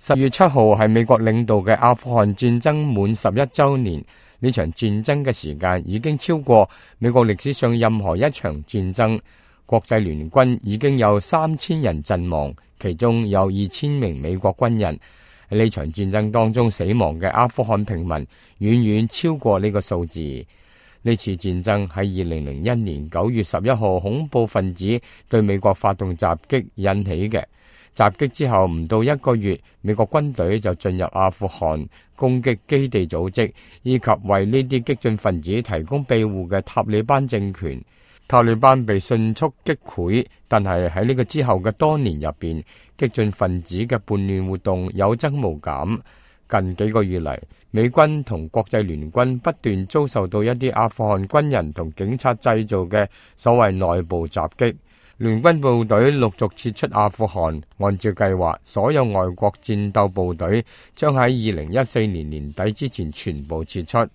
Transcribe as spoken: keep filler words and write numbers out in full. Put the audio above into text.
十月七號係美國領導嘅阿富汗戰爭滿十一週年，呢場戰爭嘅時間已經超過美國歷史上任何一場戰爭。國際聯軍已經有三千人陣亡，其中有二千名美國軍人。喺呢場戰爭當中死亡嘅阿富汗平民遠遠超過呢個數字。呢次戰爭喺二零零一年九月十一號恐怖分子對美國發動襲擊引起嘅。襲擊之後唔到一個月，美國軍隊就進入阿富汗攻擊基地組織以及為呢啲激進分子提供庇護嘅塔利班政權。塔利班被迅速擊潰，但係喺呢個之後嘅多年入邊，激進分子嘅叛亂活動有增無減。近幾個月嚟，美軍同國際聯軍不斷遭受到一啲阿富汗軍人同警察製造嘅所謂內部襲擊。聯軍部隊陸續撤出阿富汗，按照計劃，所有外國戰鬥部隊將喺二零一四年年底之前全部撤出。